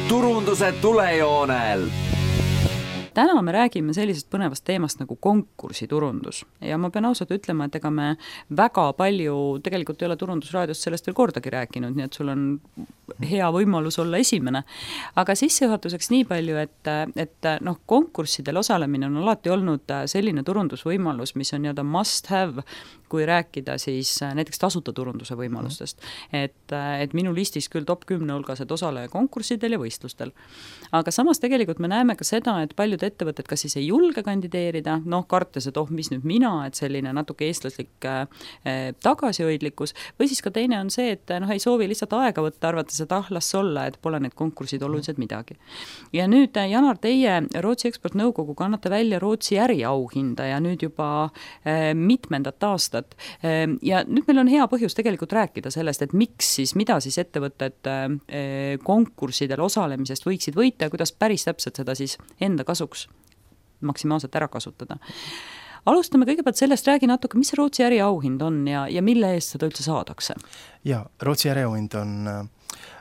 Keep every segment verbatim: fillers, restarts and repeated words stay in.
turunduse tulejoonel. Täna me räägime sellisest põnevast teemast nagu konkursiturundus ja ma pean ausalt ütlema, et ega me väga palju tegelikult ei ole Turundusraadiost sellest veel kordagi rääkinud, nii et sul on hea võimalus olla esimene. Aga sissejuhatuseks nii palju, et, et noh, konkurssidel osalemine on alati olnud selline turundusvõimalus, mis on nii-öelda must have, kui rääkida siis näiteks tasuta turunduse võimalustest. Et, et minu listis küll top kümne hulgas, et osaleja konkurssidel ja võistlustel. Aga samas tegelikult me näeme ka seda, et paljud ettevõtted kas siis ei julge kandideerida, noh, kartes, et oh, mis nüüd mina, et selline natuke eestlaslik äh, tagasihoidlikkus, või siis ka teine on see, et noh, ei soovi lihtsalt aega võtta, arvates, et ah, las olla, et pole need konkursid olulised midagi. Ja nüüd, Janar, teie Rootsi eksportnõukoguga annate välja Rootsi äriauhinda ja nüüd juba äh, mitmendat aastat. Äh, ja nüüd meil on hea põhjus tegelikult rääkida sellest, et miks siis, mida siis ettevõtted äh, konkurssidel osalemisest võiksid võita ja kuidas päris täpselt seda siis enda kasuks maksimaalselt ära kasutada. Alustame kõigepealt sellest, räägi natuke, mis see Rootsi äriauhind on ja, ja mille eest seda üldse saadakse? Ja, Rootsi äriauhind on,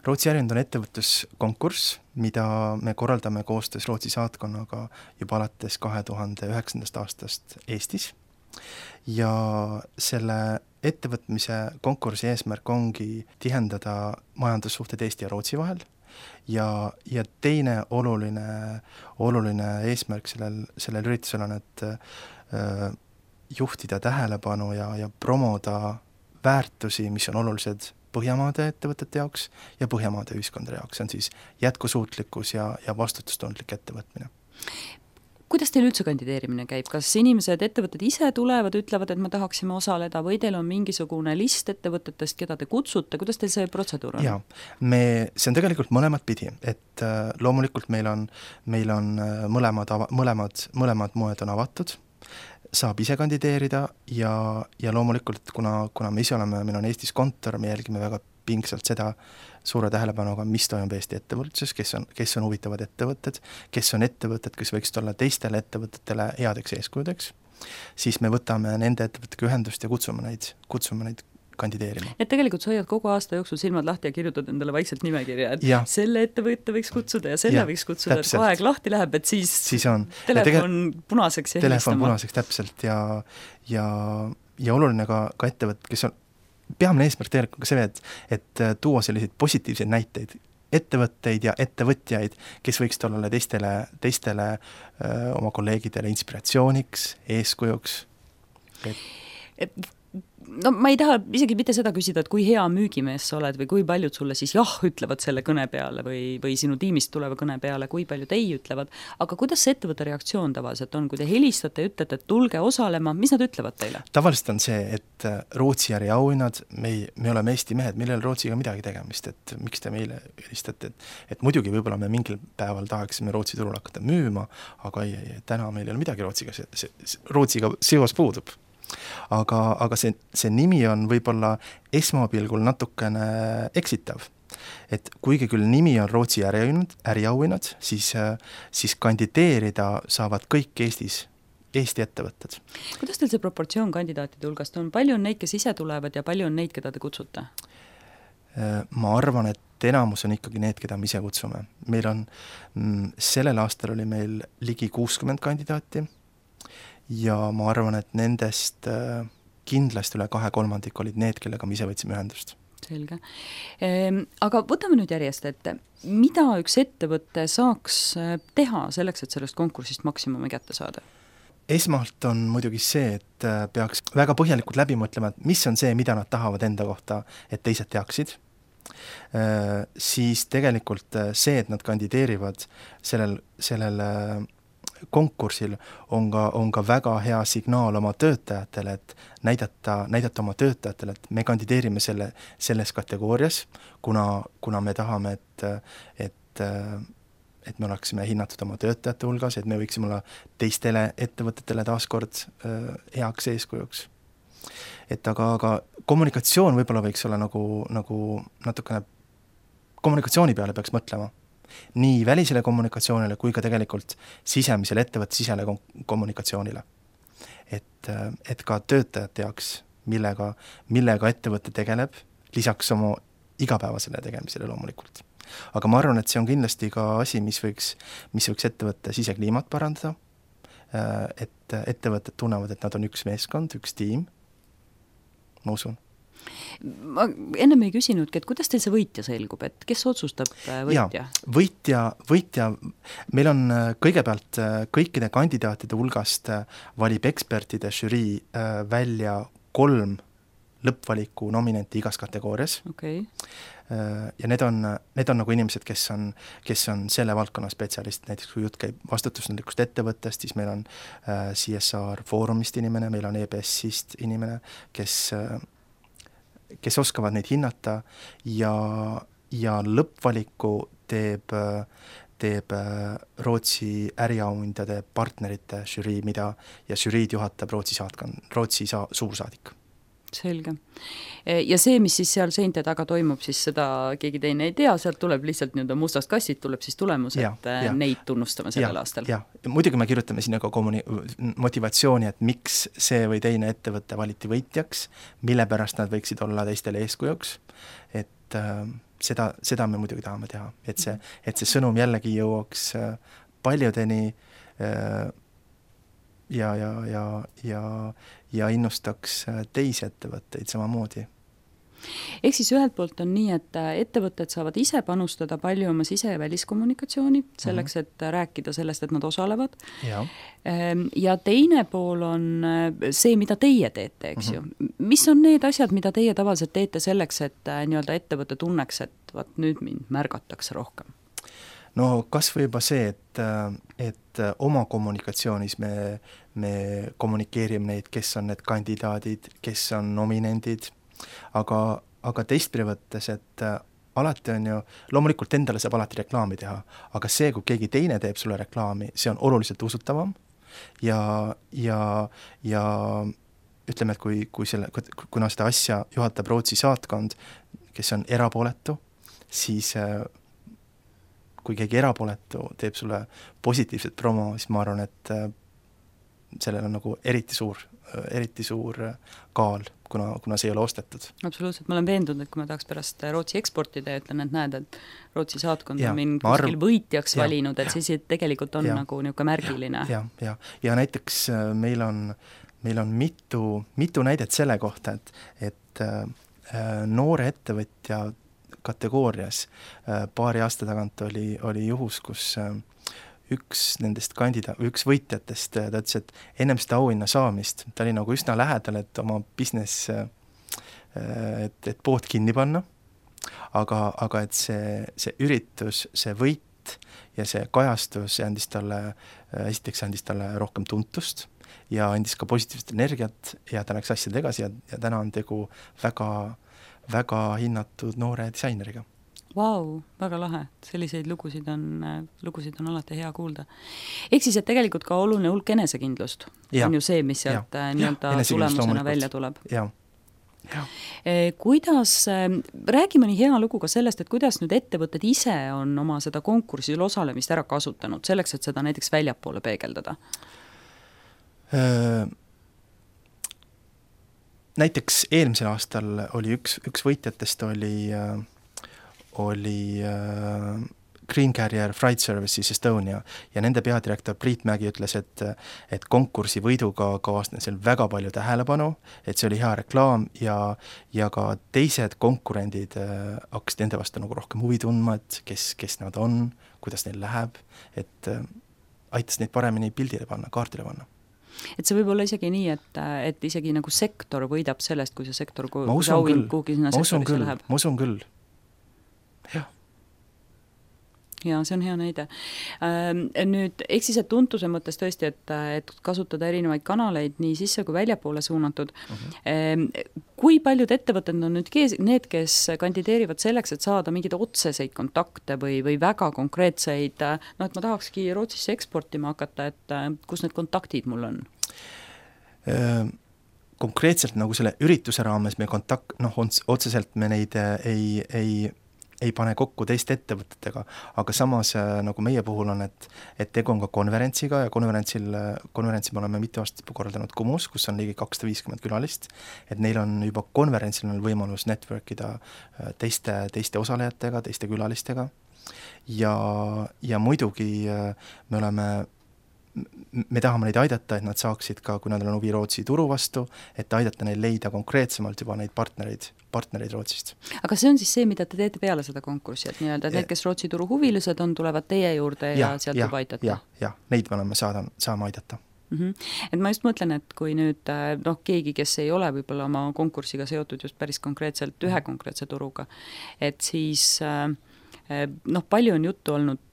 Rootsi äriauhind on ettevõtluskonkurss, mida me korraldame koostöös Rootsi saatkonnaga juba alates kahe tuhande üheksandast aastast Eestis. Ja selle ettevõtmise konkursi eesmärk ongi tihendada majandussuhted Eesti ja Rootsi vahel. Ja, ja teine oluline, oluline eesmärk sellel, sellel üritusel on, et äh, juhtida tähelepanu ja, ja promoda väärtusi, mis on olulised Põhjamaade ettevõtete jaoks ja Põhjamaade ühiskondade jaoks. See on siis jätkusuutlikkus ja, ja vastutustundlik ettevõtmine. Kuidas teil üldse kandideerimine käib? Kas inimesed, ettevõtted ise tulevad, ütlevad, et me tahaksime osaleda või teil on mingisugune list ettevõtetest, keda te kutsute? Kuidas teil see protseduur on? Ja, me, see on tegelikult mõlemad pidi, et äh, loomulikult meil on, meil on mõlemad, mõlemad, mõlemad moed on avatud, saab ise kandideerida ja, ja loomulikult, kuna, kuna me ise oleme, meil on Eestis kontor, me jälgime väga pingsalt seda suure tähelepanuga, mis toimub Eesti ettevõtluses, kes on, kes on huvitavad ettevõtted, kes on ettevõtted, kes võiksid olla teistele ettevõtetele headeks eeskujudeks, siis me võtame nende ettevõttega ühendust ja kutsume neid, kutsume neid kandideerima. Et tegelikult sa hoiad kogu aasta jooksul silmad lahti ja kirjutad endale vaikselt nimekirja, et ja. Selle ettevõtte võiks kutsuda ja selle ja, võiks kutsuda, täpselt. Et kui aeg lahti läheb, et siis, siis on. telefon tegel... punaseks ja telefon helistama. punaseks täpselt ja, ja, ja oluline ka, ka ettevõtted, kes on peamine eesmärk tegelikult ka see, et, et tuua selliseid positiivseid näiteid, ettevõtteid ja ettevõtjaid, kes võiksid olla teistele, teistele öö, oma kolleegidele inspiratsiooniks, eeskujuks. Et... Et no ma ei taha isegi mitte seda küsida, et kui hea müügimees sa oled või kui paljud sulle siis jah ütlevad selle kõne peale või, või sinu tiimist tuleva kõne peale, kui paljud ei ütlevad, aga kuidas see ettevõtte reaktsioon tavaliselt on, kui te helistate ja ütlete, et tulge osalema, mis nad ütlevad teile? Tavaliselt on see, et Rootsi äriauhinnad, me, me oleme Eesti mehed, meil ei ole Rootsiga midagi tegemist, et miks te meile helistate, et, et muidugi võib-olla me mingil päeval tahaksime Rootsi turul hakata müüma, aga ei, ei, täna meil ei ole midagi Rootsiga, see, see, Rootsiga seos puudub. Aga, aga see, see nimi on võib-olla esmapilgul natukene eksitav. Et kuigi küll nimi on Rootsi äriauhinnad, äriauhinnad siis, siis kandideerida saavad kõik Eestis, Eesti ettevõtted. Kuidas teil see proportsioon kandidaatide hulgast on? Palju on neid, kes ise tulevad ja palju on neid, keda te kutsute? Ma arvan, et enamus on ikkagi need, keda me ise kutsume. Meil on, sellel aastal oli meil ligi kuuskümmend kandidaati ja ma arvan, et nendest kindlasti üle kahe kolmandik olid need, kellega me ise võtsime ühendust. Selge. Ehm, aga võtame nüüd järjest, et mida üks ettevõte saaks teha selleks, et sellest konkursist maksimumi kätte saada? Esmalt on muidugi see, et peaks väga põhjalikult läbi mõtlema, et mis on see, mida nad tahavad enda kohta, et teised teaksid. Ehm, siis tegelikult see, et nad kandideerivad sellel, sellel konkursil on ka, on ka väga hea signaal oma töötajatele, et näidata, näidata oma töötajatele, et me kandideerime selle, selles kategoorias, kuna, kuna me tahame, et, et, et me oleksime hinnatud oma töötajate hulgas, et me võiksime olla teistele ettevõtetele taaskord heaks eeskujuks. Et aga, aga kommunikatsioon võib-olla võiks olla nagu, nagu natukene kommunikatsiooni peale peaks mõtlema. Nii välisele kommunikatsioonile kui ka tegelikult sisemisele ettevõtte sisele kommunikatsioonile. Et, et ka töötajad teaks, millega, millega ettevõte tegeleb, lisaks oma igapäevasele tegemisele loomulikult. aga ma arvan, et see on kindlasti ka asi, mis võiks, mis võiks ettevõtte sisekliimat parandada, et ettevõtted tunnevad, et nad on üks meeskond, üks tiim, ma usun. Ma ennem ei küsinudki, et kuidas teil see võitja selgub, et kes otsustab võitja? Ja, võitja, võitja, meil on kõigepealt kõikide kandidaatide hulgast valib ekspertide žürii välja kolm lõppvaliku nominenti igas kategoorias. Okay. Ja need on, need on nagu inimesed, kes on, kes on selle valdkonna spetsialist, näiteks kui jutt käib vastutusnõudlikust ettevõttest, siis meil on C S R Foorumist inimene, meil on E B S-ist inimene, kes kes oskavad neid hinnata ja, ja lõppvaliku teeb, teeb Rootsi äriauhindade partnerite žürii, mida ja žüriid juhatab Rootsi saatkond, Rootsi sa, suursaadik. Selge. Ja see, mis siis seal seinte taga toimub, siis seda keegi teine ei tea, sealt tuleb lihtsalt nii-öelda mustast kassid, tuleb siis tulemus, ja, et ja. neid tunnustame sellel ja, aastal. Ja, muidugi me kirjutame sinna ka kommuni- motivatsiooni, et miks see või teine ettevõtte valiti võitjaks, mille pärast nad võiksid olla teistele eeskujuks, et äh, seda, seda me muidugi tahame teha, et see, et see sõnum jällegi jõuaks äh, paljudeni äh, ja, ja, ja, ja, ja innustaks teisi ettevõtteid samamoodi. Ehk siis ühelt poolt on nii, et ettevõtted saavad ise panustada palju oma sise- ja väliskommunikatsiooni selleks, et rääkida sellest, et nad osalevad. Ja, ja teine pool on see, mida teie teete, eks mm-hmm. ju. Mis on need asjad, mida teie tavaliselt teete selleks, et nii-öelda ettevõte tunneks, et vaat nüüd mind märgatakse rohkem? No kas või juba see, et, et oma kommunikatsioonis me, me kommunikeerime neid, kes on need kandidaadid, kes on nominendid, aga, aga teistpidi võttes, et alati on ju, loomulikult endale saab alati reklaami teha, aga see, kui keegi teine teeb sulle reklaami, see on oluliselt usutavam ja, ja, ja ütleme, et kui, kui selle, kuna seda asja juhatab Rootsi saatkond, kes on erapooletu, siis kui keegi erapooletu teeb sulle positiivset promo, siis ma arvan, et sellel on nagu eriti suur, eriti suur kaal, kuna, kuna see ei ole ostetud. Absoluutselt, ma olen veendunud, et kui ma tahaks pärast Rootsi eksportida ja ütlen, et näed, et Rootsi saatkond ja, on mind kuskil arv... võitjaks ja, valinud, et siis tegelikult on ja, nagu niisugune märgiline. Ja, ja, ja näiteks meil on, meil on mitu, mitu näidet selle kohta, et, et äh, noore ettevõtja kategoorias paari aasta tagant oli, oli juhus, kus üks nendest kandida-, üks võitjatest, ta ütles, et ennem seda auhinna saamist, ta oli nagu üsna lähedal, et oma business, et, et pood kinni panna, aga, aga et see, see üritus, see võit ja see kajastus andis talle, esiteks andis talle rohkem tuntust ja andis ka positiivset energiat ja ta läks asjad edasi ja, ja täna on tegu väga väga hinnatud noore disaineriga. Vau, väga lahe. Selliseid lugusid on, lugusid on alati hea kuulda. Ehk siis, et tegelikult ka oluline hulk enesekindlust ja, on ju see, mis sealt nii-öelda tulemusena välja tuleb. Ja. Ja. Kuidas, räägi mõni hea lugu ka sellest, et kuidas nüüd ettevõtted ise on oma seda konkursil osalemist ära kasutanud, selleks, et seda näiteks väljapoole peegeldada? Öö... Näiteks eelmisel aastal oli üks, üks võitjatest oli, oli Green Carrier Freight Services Estonia ja nende peadirektor Priit Mägi ütles, et, et konkursi võiduga kaasnes seal väga palju tähelepanu, et see oli hea reklaam ja, ja ka teised konkurendid hakkasid nende vastu nagu rohkem huvi tundma, et kes, kes nad on, kuidas neil läheb, et aitas neid paremini pildile panna, kaardile panna. Et see võib olla isegi nii, et, et isegi nagu sektor võidab sellest, kui see sektor, kui see auhind kuhugi sinna sektorisse küll, läheb. Ma usun küll, jah. Ja see on hea näide. Nüüd, eks siis, et tuntuse mõttes tõesti, et, et kasutada erinevaid kanaleid nii sisse kui väljapoole suunatud. Uh-huh. Kui paljud ettevõtted on nüüd kees, need, kes kandideerivad selleks, et saada mingeid otseseid kontakte või, või väga konkreetseid, no et ma tahakski Rootsisse eksportima hakata, et kus need kontaktid mul on? Konkreetselt nagu selle ürituse raames me kontakt, noh, otseselt me neid ei, ei ei pane kokku teiste ettevõtetega, aga samas nagu meie puhul on, et, et tegu on ka konverentsiga ja konverentsil, konverentsi me oleme mitu aastat korraldanud Kumus, kus on ligi kakssada viiskümmend külalist, et neil on juba konverentsil on võimalus networkida teiste, teiste osalejatega, teiste külalistega ja, ja muidugi me oleme me tahame neid aidata, et nad saaksid ka, kui nad on huvi Rootsi turu vastu, et aidata neil leida konkreetsemalt juba neid partnereid, partnereid Rootsist. Aga see on siis see, mida te teete peale seda konkurssi, et nii-öelda need, kes Rootsi turu huvilised on, tulevad teie juurde ja, ja sealt juba aidata? jah, jah, neid me oleme saada, saama aidata. Mm-hmm. Et ma just mõtlen, et kui nüüd noh, keegi, kes ei ole võib-olla oma konkursiga seotud just päris konkreetselt ühe konkreetse turuga, et siis noh, palju on juttu olnud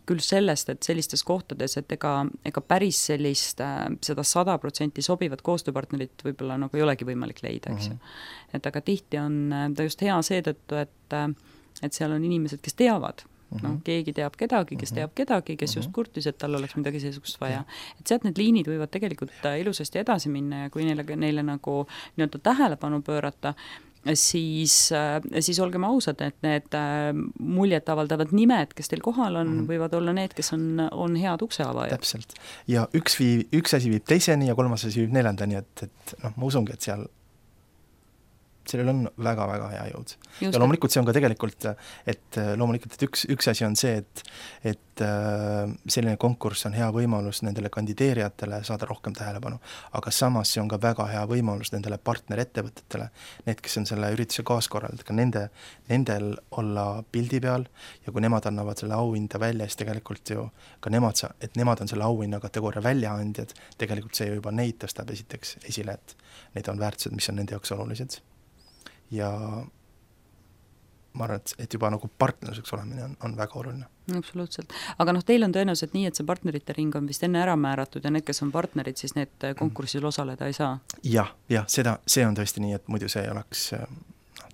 küll sellest, et sellistes kohtades, et ega, ega päris sellist seda sada protsenti sobivat koostööpartnerit võib-olla nagu ei olegi võimalik leida, eks ju. Mm-hmm. Et aga tihti on ta just hea seetõttu, et, et seal on inimesed, kes teavad, mm-hmm. noh, keegi teab kedagi, kes teab kedagi, kes just kurtis, et tal oleks midagi seesugust vaja. Et sealt need liinid võivad tegelikult ilusasti edasi minna ja kui neile, neile nagu nii-öelda tähelepanu pöörata, siis, siis olgem ausad, et need muljet avaldavad nimed, kes teil kohal on, mm-hmm. võivad olla need, kes on, on head ukseavajad. Täpselt. Ja üks, viib, üks asi viib teiseni ja kolmas asi viib neljandani, et, et noh, ma usungi, et seal sellel on väga-väga hea jõud. Just. Ja loomulikult see on ka tegelikult, et loomulikult, et üks, üks asi on see, et, et selline konkurss on hea võimalus nendele kandideerijatele saada rohkem tähelepanu, aga samas see on ka väga hea võimalus nendele partnerettevõtetele, need, kes on selle ürituse kaaskorraldajad, ka nende, nendel olla pildi peal ja kui nemad annavad selle auhinda välja, siis tegelikult ju ka nemad, et nemad on selle auhinna kategooria väljaandjad, tegelikult see juba neid tõstab esiteks esile, et need on väärtused, mis on nende jaoks olulised. Ja ma arvan, et, et juba nagu partnerluseks olemine on, on väga oluline. Absoluutselt. Aga noh, teil on tõenäoliselt nii, et see partnerite ring on vist enne ära määratud ja need, kes on partnerid, siis need konkursil osaleda ei saa? Jah, jah, seda, see on tõesti nii, et muidu see oleks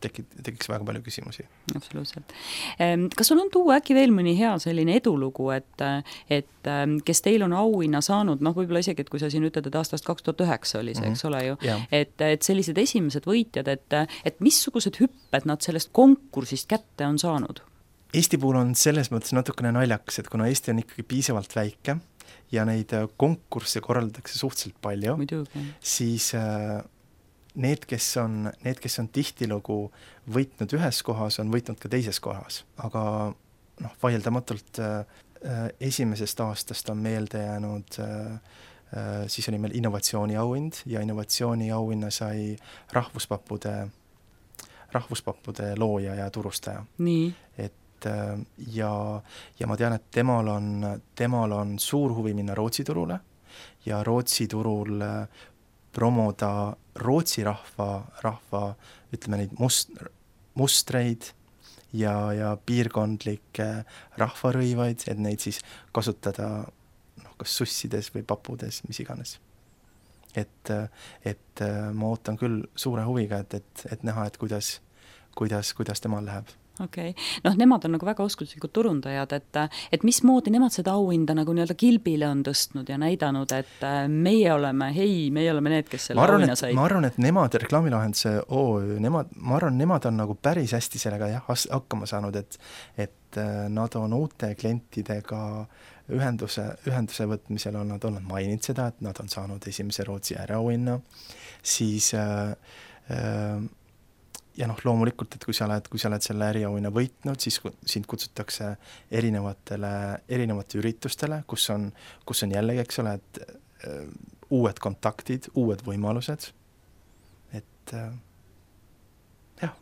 tekib, tekiks väga palju küsimusi. Absoluutselt. Kas sul on tuua äkki veel mõni hea selline edulugu, et, et kes teil on auhinna saanud, noh võib-olla isegi, et kui sa siin ütled, et aastast kaks tuhat üheksa oli see, mm-hmm. eks ole ju, yeah. et, et sellised esimesed võitjad, et, et missugused hüpped nad sellest konkursist kätte on saanud? Eesti puhul on selles mõttes natukene naljakas, et kuna Eesti on ikkagi piisavalt väike ja neid konkursse korraldatakse suhteliselt palju, Muidugi. siis Need kes, on, need, kes on tihtilugu võitnud ühes kohas, on võitnud ka teises kohas. Aga noh, vaieldamatult äh, esimesest aastast on meelde jäänud, äh, siis oli meil innovatsiooniauhind ja innovatsiooniauhinna sai rahvuspappude, rahvuspappude looja ja turustaja. Nii. Et, äh, ja, ja ma tean, et temal on, temal on suur huvi minna Rootsi turule ja Rootsi turul äh, promoda Rootsi rahva, rahva ütleme neid must, mustreid ja, ja piirkondlikke rahvarõivaid, et neid siis kasutada noh, kas sussides või papudes, mis iganes. Et, et ma ootan küll suure huviga, et, et, et näha, et kuidas, kuidas, kuidas temal läheb. Okei. Okay. Noh, nemad on nagu väga oskuslikud turundajad, et, et mismoodi nemad seda auhinda nagu nii-öelda kilbile on tõstnud ja näidanud, et meie oleme, hei, meie oleme need, kes selle auhinna said. Ma arvan, et nemad, reklaamilahenduse O Ö, nemad, ma arvan, nemad on nagu päris hästi sellega jah, hakkama saanud, et, et nad on uute klientidega ühenduse, ühenduse võtmisel on nad olnud maininud seda, et nad on saanud esimese Rootsi äriauhinna, siis äh, äh, ja noh, loomulikult, et kui sa oled, kui sa oled selle äriauhinna võitnud, siis sind kutsutakse erinevatele, erinevate üritustele, kus on, kus on jällegi, eks ole, et uh, uued kontaktid, uued võimalused, et uh, jah.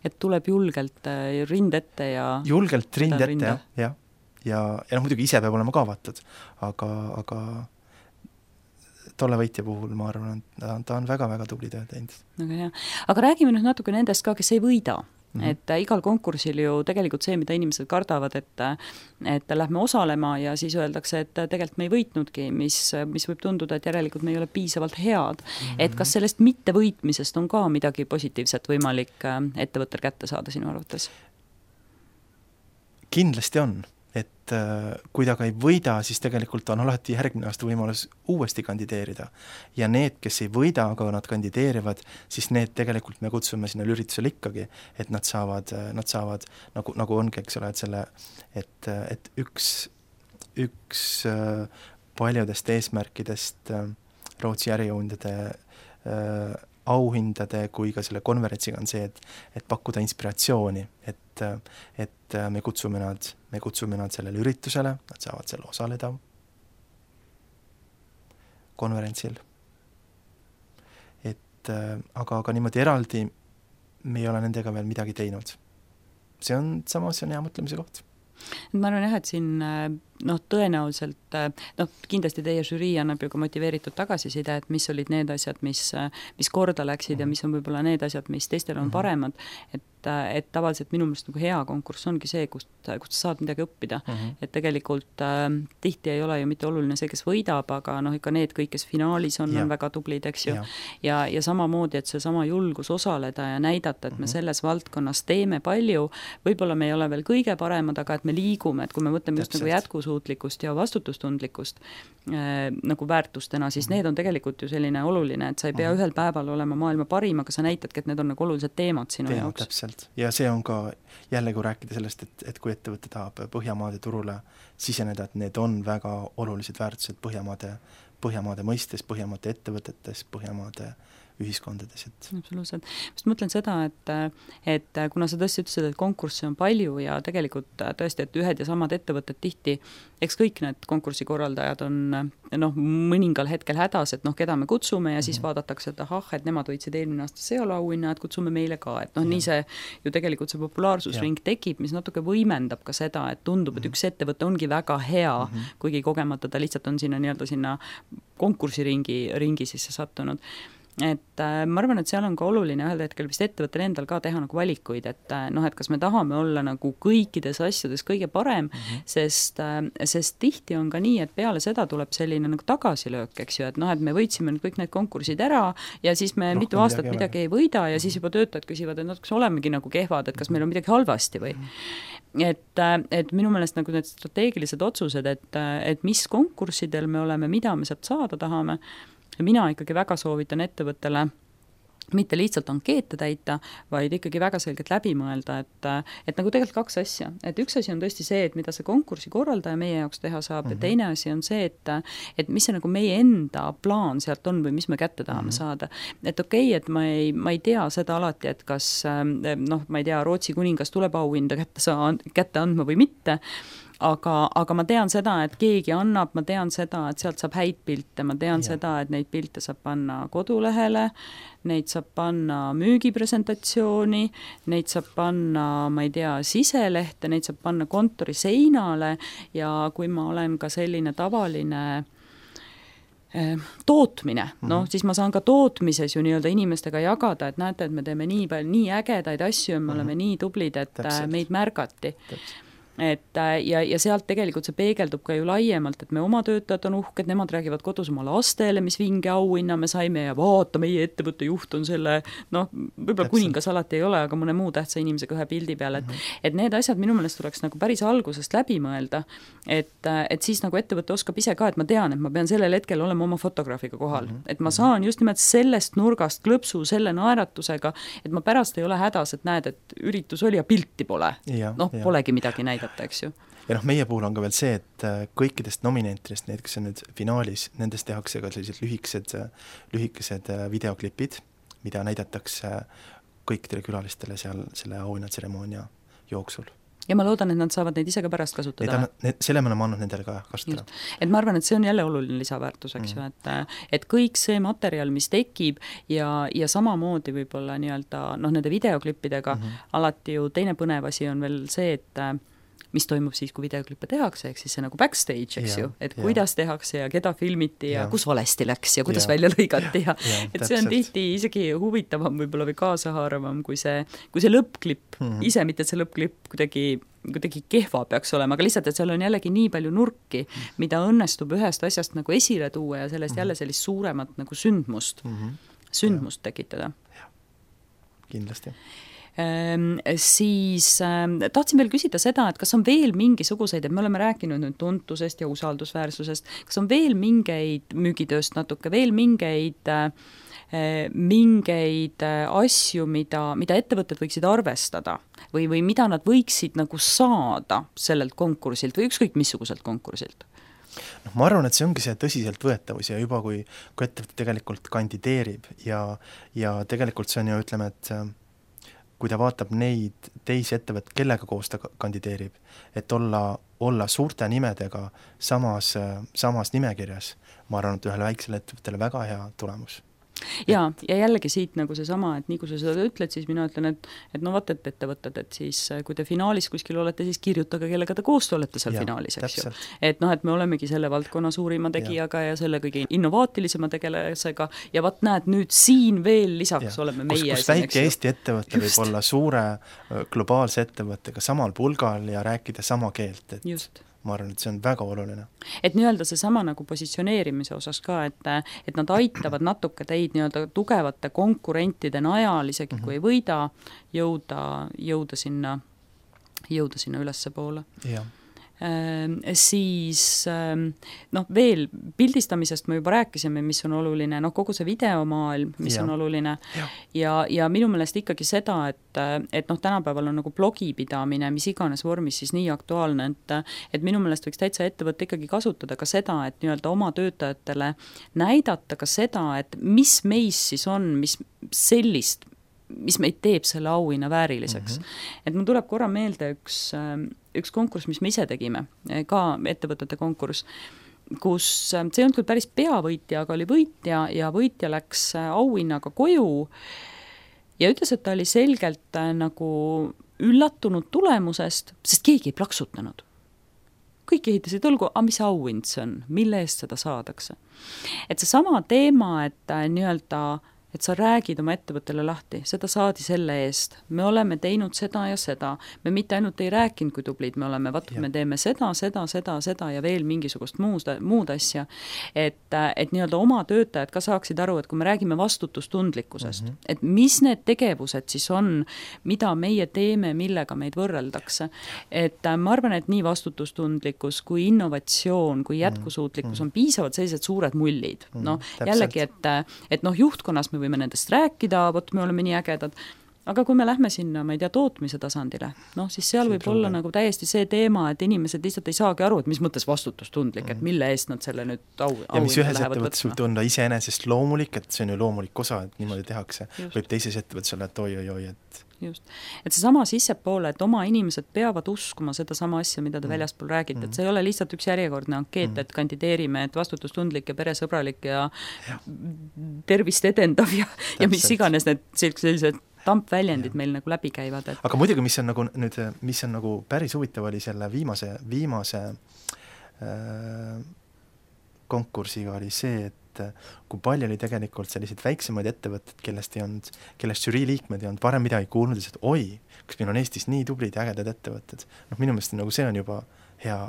Et tuleb julgelt uh, rind ette ja... Julgelt rind ette, jah, jah. Ja, ja noh, muidugi ise peab olema ka vaatad, aga, aga tolle võitja puhul ma arvan, et ta on väga-väga tubli töö teinud. Aga, hea. Aga räägime nüüd natuke nendest ka, kes ei võida. Mm-hmm. Et igal konkursil ju tegelikult see, mida inimesed kardavad, et, et lähme osalema ja siis öeldakse, et tegelikult me ei võitnudki, mis, mis võib tunduda, et järelikult me ei ole piisavalt head. Mm-hmm. Et kas sellest mittevõitmisest on ka midagi positiivset võimalik ettevõttel kätte saada sinu arvates? Kindlasti on. et kui ta ka ei võida, siis tegelikult on alati järgmine aasta võimalus uuesti kandideerida. Ja need, kes ei võida, aga nad kandideerivad, siis need tegelikult me kutsume sinna üritusele ikkagi, et nad saavad, nad saavad nagu, nagu ongi, eks ole, et selle, et, et üks, üks paljudest eesmärkidest Rootsi ärijuhendade äh, auhindade kui ka selle konverentsiga on see, et, et pakkuda inspiratsiooni, et, et me kutsume nad, me kutsume nad sellele üritusele, nad saavad seal osaleda konverentsil. Et aga, aga niimoodi eraldi me ei ole nendega veel midagi teinud. See on samas, see on hea mõtlemise koht. Ma arvan jah, et siin noh, tõenäoliselt, noh, kindlasti teie žürii annab ju ka motiveeritud tagasiside, et mis olid need asjad, mis, mis korda läksid mm-hmm. ja mis on võib-olla need asjad, mis teistel on mm-hmm. paremad, et, et tavaliselt minu meelest nagu hea konkurss ongi see, kust, kust saad midagi õppida, mm-hmm. et tegelikult äh, tihti ei ole ju mitte oluline see, kes võidab, aga noh, ikka need kõik, kes finaalis on, ja. on väga tublid, eks ju, ja, ja, ja samamoodi, et see sama julgus osaleda ja näidata, et me mm-hmm. selles valdkonnas teeme palju, võib-olla me ei ole veel kõige paremad, aga et me liigume, et kui me mõtleme just nagu jätkus suutlikkust ja vastutustundlikkust äh, nagu väärtustena, siis mm-hmm. need on tegelikult ju selline oluline, et sa ei pea mm-hmm. ühel päeval olema maailma parim, aga sa näitadki, et need on nagu olulised teemad sinu Teemad, jaoks. Täpselt. Ja see on ka jälle, kui rääkida sellest, et, et kui ettevõte tahab Põhjamaade turule siseneda, et need on väga olulised väärtused Põhjamaade, Põhjamaade mõistes, Põhjamaade ettevõtetes, Põhjamaade ühiskondades. Et... Absoluutselt. Just mõtlen seda, et, et kuna sa tõesti ütlesid, et konkursse on palju ja tegelikult tõesti, et ühed ja samad ettevõtted tihti, eks kõik need konkursikorraldajad on noh, mõningal hetkel hädas, et noh, keda me kutsume ja siis mm-hmm. vaadatakse, et ahah, et nemad võitsid eelmine aasta Seola auhinna, et kutsume meile ka, et noh, ja. nii see ju tegelikult see populaarsusring ja. tekib, mis natuke võimendab ka seda, et tundub, et mm-hmm. üks ettevõte ongi väga hea, mm-hmm. kuigi kogemata ta lihtsalt on sinna nii-öelda sinna konkursiringi ringi sisse sattunud. Et äh, ma arvan, et seal on ka oluline ühel hetkel vist ettevõttel endal ka teha nagu valikuid, et äh, noh, et kas me tahame olla nagu kõikides asjades kõige parem, mm-hmm. sest, äh, sest tihti on ka nii, et peale seda tuleb selline nagu tagasilöök, eks ju, et noh, et me võitsime nüüd kõik need konkursid ära ja siis me Rohkem mitu aastat midagi, midagi ei võida ja siis juba töötajad küsivad, et no, kas olemegi nagu kehvad, et kas meil on midagi halvasti või mm-hmm. et, et minu meelest nagu need strateegilised otsused, et, et mis konkurssidel me oleme, mida me sealt saada tahame. Ja mina ikkagi väga soovitan ettevõttele mitte lihtsalt ankeete täita, vaid ikkagi väga selgelt läbi mõelda, et, et nagu tegelikult kaks asja. Et üks asi on tõesti see, et mida see konkursi korraldaja meie jaoks teha saab mm-hmm. ja teine asi on see, et, et mis see nagu meie enda plaan sealt on või mis me kätte tahame mm-hmm. saada. Et okei, okay, et ma ei, ma ei tea seda alati, et kas noh, ma ei tea, Rootsi kuningas tuleb auhinda kätte, saa, kätte andma või mitte, Aga, aga ma tean seda, et keegi annab, ma tean seda, et sealt saab häid pilte, ma tean ja. seda, et neid pilte saab panna kodulehele, neid saab panna müügipresentatsiooni, neid saab panna, ma ei tea, siselehte, neid saab panna kontori seinale ja kui ma olen ka selline tavaline tootmine, noh, siis ma saan ka tootmises ju nii-öelda inimestega jagada, et näete, et me teeme nii palju, nii ägedaid asju ja me mm-hmm. oleme nii tublid, et Täpselt. meid märgati. Täpselt. Et, ja, ja sealt tegelikult see peegeldub ka ju laiemalt, et me oma töötajad on uhked, nemad räägivad kodus oma lastele, mis vinge auhinna me saime ja vaata, meie ettevõtte juht on selle, noh, võib-olla kuningas alati ei ole, aga mõne muu tähtsa inimesega ühe pildi peal, et, mm-hmm. et need asjad minu meelest tuleks nagu päris algusest läbi mõelda, et, et siis nagu ettevõte oskab ise ka, et ma tean, et ma pean sellel hetkel olema oma fotograafiga kohal, mm-hmm. et ma saan just nimelt sellest nurgast klõpsu selle naeratusega, et ma pärast ei ole hädas, et näed, et üritus oli ja pilti pole, noh, polegi midagi näidata. Eks ju. Ja noh, meie puhul on ka veel see, et kõikidest nominentidest, need, kes on nüüd finaalis, nendest tehakse ka sellised lühikesed, lühikesed videoklipid, mida näidatakse kõikidele külalistele seal selle auhinnatseremoonia jooksul. Ja ma loodan, et nad saavad neid ise ka pärast kasutada. Need, need, selle me oleme andnud nendele ka kasutada. Just. Et ma arvan, et see on jälle oluline lisaväärtus, eks mm. ju, et, et kõik see materjal, mis tekib ja, ja samamoodi võib-olla nii-öelda, noh, nende videoklippidega mm-hmm. alati ju teine põnev asi on veel see, et mis toimub siis, kui videoklippe tehakse, eks siis see nagu backstage, eks ja, ju, et ja. kuidas tehakse ja keda filmiti ja, ja kus valesti läks ja kuidas ja. välja lõigati ja, ja et see on tihti isegi huvitavam võib-olla või kaasahaaravam kui see, kui see lõppklipp mm-hmm. ise, mitte see lõppklipp kuidagi, kuidagi kehva peaks olema, aga lihtsalt, et seal on jällegi nii palju nurki, mida õnnestub ühest asjast nagu esile tuua ja sellest mm-hmm. jälle sellist suuremat nagu sündmust, mm-hmm. sündmust ja. tekitada. Kindlasti. Siis tahtsin veel küsida seda, et kas on veel mingisuguseid, et me oleme rääkinud nüüd tuntusest ja usaldusväärsusest, kas on veel mingeid müügitööst natuke, veel mingeid mingeid asju, mida, mida ettevõtted võiksid arvestada või, või mida nad võiksid nagu saada sellelt konkursilt või ükskõik missuguselt konkursilt? noh, ma arvan, et see ongi see tõsiseltvõetavus ja juba kui, kui ettevõte tegelikult kandideerib ja, ja tegelikult see on ju, ütleme, et kui ta vaatab neid teisi ettevõtteid, kellega koos ta kandideerib, et olla, olla suurte nimedega samas, samas nimekirjas, ma arvan, et ühele väiksele ettevõttele väga hea tulemus. Ja, ja jällegi siit nagu seesama, et nii kui sa seda ütled, siis mina ütlen, et, et no vaat, et ettevõtted, et siis kui te finaalis kuskil olete, siis kirjutage, kellega te koos olete seal ja, finaalis, eks ju. Et noh, et me olemegi selle valdkonna suurima tegijaga ja, ja selle kõige innovaatilisema tegelasega ja vaat näed, nüüd siin veel lisaks ja. oleme meie. Kus, kus väike Eesti ettevõte võib olla suure globaalse ettevõttega samal pulgal ja rääkida sama keelt, et just. Ma arvan, et see on väga oluline. Et nii-öelda see sama nagu positsioneerimise osas ka, et, et nad aitavad natuke teid nii-öelda tugevate konkurentide najal, isegi mm-hmm. kui ei võida, jõuda, jõuda sinna, jõuda sinna ülesse poole. Jah. Siis noh, veel pildistamisest me juba rääkisime, mis on oluline, noh kogu see videomaailm, mis ja. on oluline ja, ja, ja minu meelest ikkagi seda, et, et noh, tänapäeval on nagu blogipidamine, mis iganes vormis siis nii aktuaalne, et, et minu meelest võiks täitsa ettevõtte ikkagi kasutada ka seda, et nii-öelda oma töötajatele näidata ka seda, et mis meis siis on, mis sellist mis meid teeb selle auhinna vääriliseks. Mm-hmm. Et mul tuleb korra meelde üks, üks konkurss, mis me ise tegime, ka ettevõtete konkurss, kus see ei olnud küll päris peavõitja, aga oli võitja ja võitja läks auhinnaga koju ja ütles, et ta oli selgelt nagu üllatunud tulemusest, sest keegi ei plaksutanud. Kõik ehitasid õlgu, aga mis auhind see on, mille eest seda saadakse. Et see sama teema, et nii-öelda et sa räägid oma ettevõttele lahti, seda saadi selle eest, me oleme teinud seda ja seda, me mitte ainult ei rääkinud, kui tublid me oleme, vaat me teeme seda, seda, seda, seda ja veel mingisugust muud, muud asja, et, et nii-öelda oma töötajad ka saaksid aru, et kui me räägime vastutustundlikkusest, mm-hmm. et mis need tegevused siis on, mida meie teeme, millega meid võrreldakse, et ma arvan, et nii vastutustundlikkus kui innovatsioon, kui jätkusuutlikkus mm-hmm. on piisavalt sellised suured mullid, mm-hmm. noh, jällegi, et, et noh, juhtkonnas me võime nendest rääkida, vot me oleme nii ägedad, aga kui me lähme sinna, ma ei tea, tootmise tasandile, noh, siis seal see võib olla ole. nagu täiesti see teema, et inimesed lihtsalt ei saagi aru, et mis mõttes vastutustundlik, mm. et mille eest nad selle nüüd au, ja mis ühes ettevõttes võib tunda iseenesest loomulik, et see on ju loomulik osa, et niimoodi tehakse, Just. võib teises ettevõttes olla, et oi-oi-oi, et just, et see sama sissepoole, et oma inimesed peavad uskuma seda sama asja, mida te mm. väljaspool räägite, mm. et see ei ole lihtsalt üks järjekordne ankeet, mm. et kandideerime, et vastutustundlik ja peresõbralik ja, ja. tervist edendav ja, ja mis iganes need sellised tampväljendid ja. meil nagu läbi käivad. Et... aga muidugi, mis on nagu nüüd, mis on nagu päris huvitav oli selle viimase, viimase äh, konkursiga oli see, et kui palju oli tegelikult selliseid väiksemaid ettevõtted, kellest ei olnud, kellest žürii liikmed ei olnud varem midagi kuulnud, et oi, kas meil on Eestis nii tublid ja ägedad ettevõtted. noh, minu meelest nagu see on juba hea,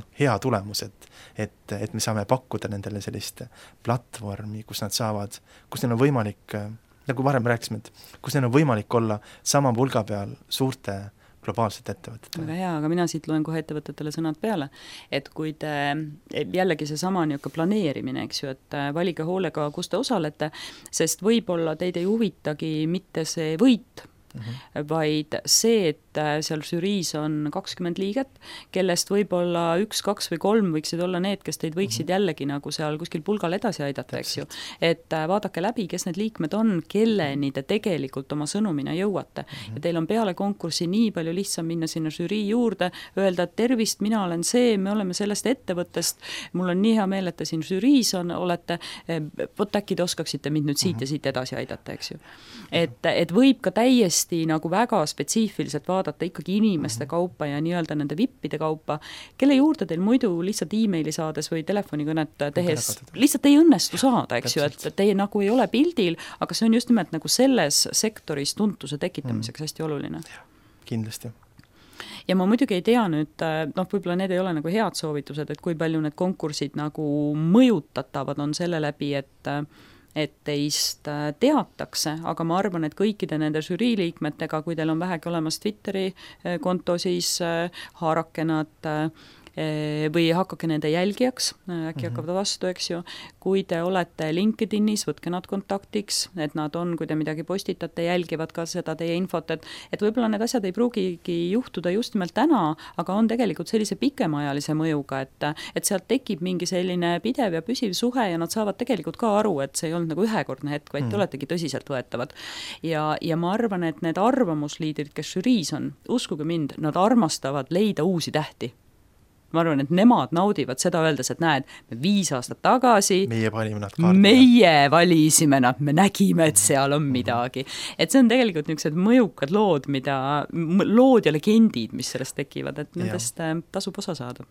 noh, hea tulemus, et, et, et me saame pakkuda nendele sellist platvormi, kus nad saavad, kus neil on võimalik, nagu varem rääkisime, et kus neil on võimalik olla sama pulga peal suurte globaalset ettevõtet. Väga hea, aga mina siit loen kohe ettevõtetele sõnad peale, et kui te, jällegi see sama niisugune planeerimine, eks ju, et valige hoolega, kus te osalete, sest võib-olla teid ei huvitagi mitte see võit, mm-hmm. vaid see, et seal žüriis on kakskümmend liiget, kellest võib-olla üks, kaks või kolm võiksid olla need, kes teid võiksid mm-hmm. jällegi nagu seal kuskil pulgal edasi aidata, eks ju. Et vaadake läbi, kes need liikmed on, kelleni te tegelikult oma sõnumina jõuate. Mm-hmm. Ja teil on peale konkursi nii palju lihtsam minna sinna žürii juurde, öelda, et tervist, mina olen see, me oleme sellest ettevõttest, mul on nii hea meel, et te siin žüriis on, olete, võt äkki te oskaksite mind nüüd siit mm-hmm. ja siit edasi aidata, eks ju. Et, et võib ka täiesti nagu väga spetsiifiliselt vaadata ikkagi inimeste kaupa ja nii-öelda nende vippide kaupa, kelle juurde teil muidu lihtsalt e-maili saades või telefonikõnet tehes lihtsalt ei õnnestu saada, eks ju, et teie nagu ei ole pildil, aga see on just nimelt nagu selles sektoris tuntuse tekitamiseks mm. hästi oluline. Kindlasti. Ja ma muidugi ei tea nüüd, noh, võib-olla need ei ole nagu head soovitused, et kui palju need konkursid nagu mõjutatavad on selle läbi, et et teist teatakse, aga ma arvan, et kõikide nende žürii liikmetega, kui teil on vähegi olemas Twitteri konto, siis haarake nad või hakake nende jälgijaks, äkki mm-hmm. hakkavad vastu, eks ju. Kui te olete LinkedInis, võtke nad kontaktiks, et nad on, kui te midagi postitate, jälgivad ka seda teie infot, et, et võib-olla need asjad ei pruugigi juhtuda just nimelt täna, aga on tegelikult sellise pikemaajalise mõjuga, et, et sealt tekib mingi selline pidev ja püsiv suhe ja nad saavad tegelikult ka aru, et see ei olnud nagu ühekordne hetk, vaid mm. te oletegi tõsiseltvõetavad. Ja, ja ma arvan, et need arvamusliidrid, kes žüriis on, uskuge mind, nad armastavad leida uusi tähti. Ma arvan, et nemad naudivad seda öeldes, et näed, me viis aastat tagasi meie valime nad kaardile. Meie valisime nad, me nägime, et seal on midagi. Et see on tegelikult niisugused mõjukad lood, mida, lood ja legendid, mis sellest tekivad, et nendest ja. tasub osa saada.